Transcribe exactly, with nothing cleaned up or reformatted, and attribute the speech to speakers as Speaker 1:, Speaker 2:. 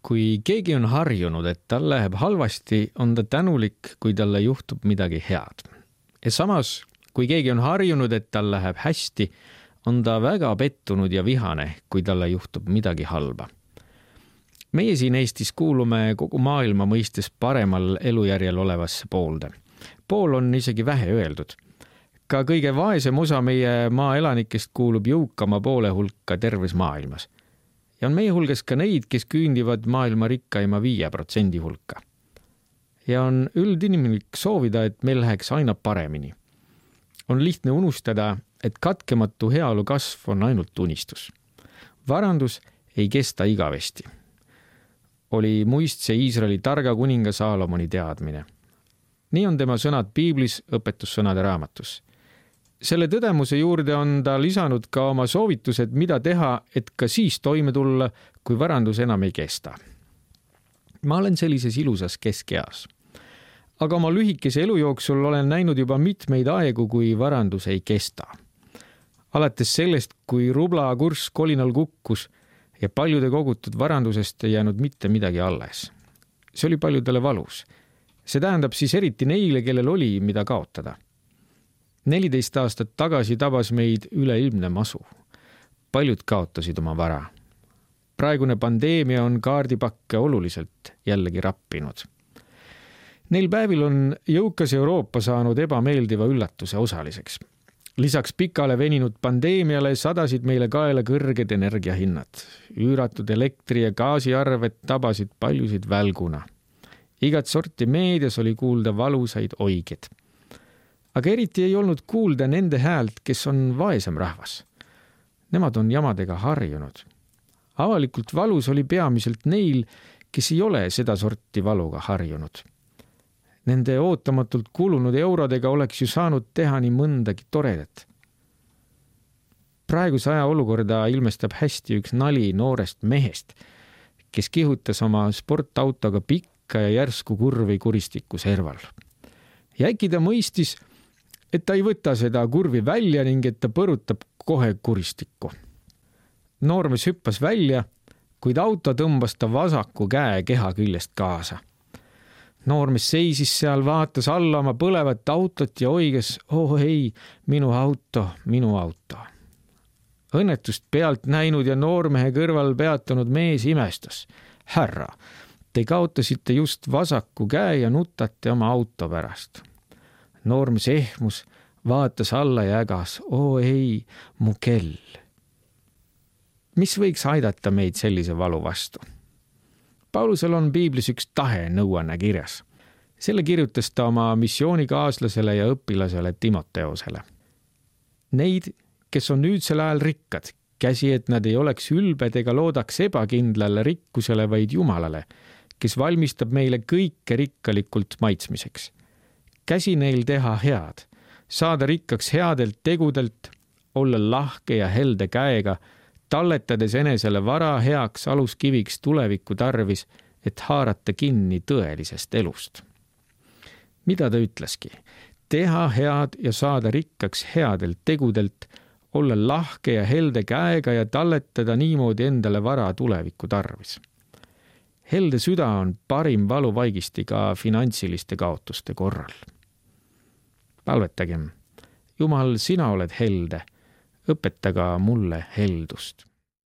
Speaker 1: Kui keegi on harjunud, et tal läheb halvasti, on ta tänulik, kui talle juhtub midagi head. Ja samas, kui keegi on harjunud, et tal läheb hästi, on ta väga pettunud ja vihane, kui talle juhtub midagi halba. Meie siin Eestis kuulume kogu maailma mõistes paremal elujärjel olevasse poolde. Pool on isegi vähe öeldud. Ka kõige vaesem osa meie maa elanikest kuulub jõukama poole hulka terves maailmas. Ja on meie hulgas ka neid, kes küündivad maailma rikkaima viie protsendi hulka. Ja on üldinimlik soovida, et meil läheks aina paremini. On lihtne unustada, et katkematu heaolu kasv on ainult unistus. Varandus ei kesta igavesti. Oli muistse Iisraeli targa kuninga Saalomoni teadmine. Nii on tema sõnad Piiblis õpetussõnade raamatus. Selle tõdemuse juurde on ta lisanud ka oma soovitused, mida teha, et ka siis toime tulla, kui varandus enam ei kesta. Ma olen sellises ilusas keskeas. Aga oma lühikese elu jooksul olen näinud juba mitmeid aegu, kui varandus ei kesta. Alates sellest, kui rubla kurss kolinal kukkus ja paljude kogutud varandusest ei jäänud mitte midagi alles. See oli paljudele valus. See tähendab siis eriti neile, kellel oli, mida kaotada. neliteist aastat tagasi tabas meid üleilmne masu. Paljud kaotasid oma vara. Praegune pandeemia on kaardipakke oluliselt jällegi rappinud. Neil päevil on jõukas Euroopa saanud ebameeldiva üllatuse osaliseks. Lisaks pikale veninud pandeemiale sadasid meile kaela kõrged energiahinnad. Üüratud elektri- ja gaasiarved tabasid paljusid välguna. Igat sorti meedias oli kuulda valusaid oiged. Aga eriti ei olnud kuulda nende häält, kes on vaesem rahvas. Nemad on jamadega harjunud. Avalikult valus oli peamiselt neil, kes ei ole seda sorti valuga harjunud. Nende ootamatult kulunud eurodega oleks ju saanud teha nii mõndagi toredat. Praeguse aja olukorda ilmestab hästi üks nali noorest mehest, kes kihutas oma sportautoga pikka ja järsku kurvi kuristiku serval. Ja äkki ta mõistis, et ta ei võta seda kurvi välja ning et ta põrutab kohe kuristikku. Noormees hüppas välja, kuid auto tõmbas ta vasaku käe keha küljest kaasa. Noormees seisis seal, vaatas alla oma põlevat autot ja oiges, oh ei, minu auto, minu auto. Õnnetust pealt näinud ja noormehe kõrval peatunud mees imestas. Härra, te kaotasite just vasaku käe ja nutate oma auto pärast. Noormees ehmus, vaatas alla ja ägas, oo ei, mu kell. Mis võiks aidata meid sellise valu vastu? Paulusel on Piiblis üks tahe nõuanne kirjas. Selle kirjutas ta oma missioonikaaslasele ja õpilasele Timoteosele. Neid, kes on nüüdsel ajal rikkad, käsi, et nad ei oleks ülbed ega loodaks ebakindlale rikkusele, vaid Jumalale, kes valmistab meile kõike rikkalikult maitsmiseks. Käsi neil teha head, saada rikkaks headelt tegudelt, olla lahke ja helde käega, talletades enesele vara heaks aluskiviks tuleviku tarvis, et haarata kinni tõelisest elust. Mida ta ütleski? Teha head ja saada rikkaks headelt tegudelt, olla lahke ja helde käega ja talletada niimoodi endale vara tuleviku tarvis. Helde süda on parim valuvaigisti ka finantsiliste kaotuste korral. Palvetagem, Jumal, sina oled helde, õpeta ka mulle heldust.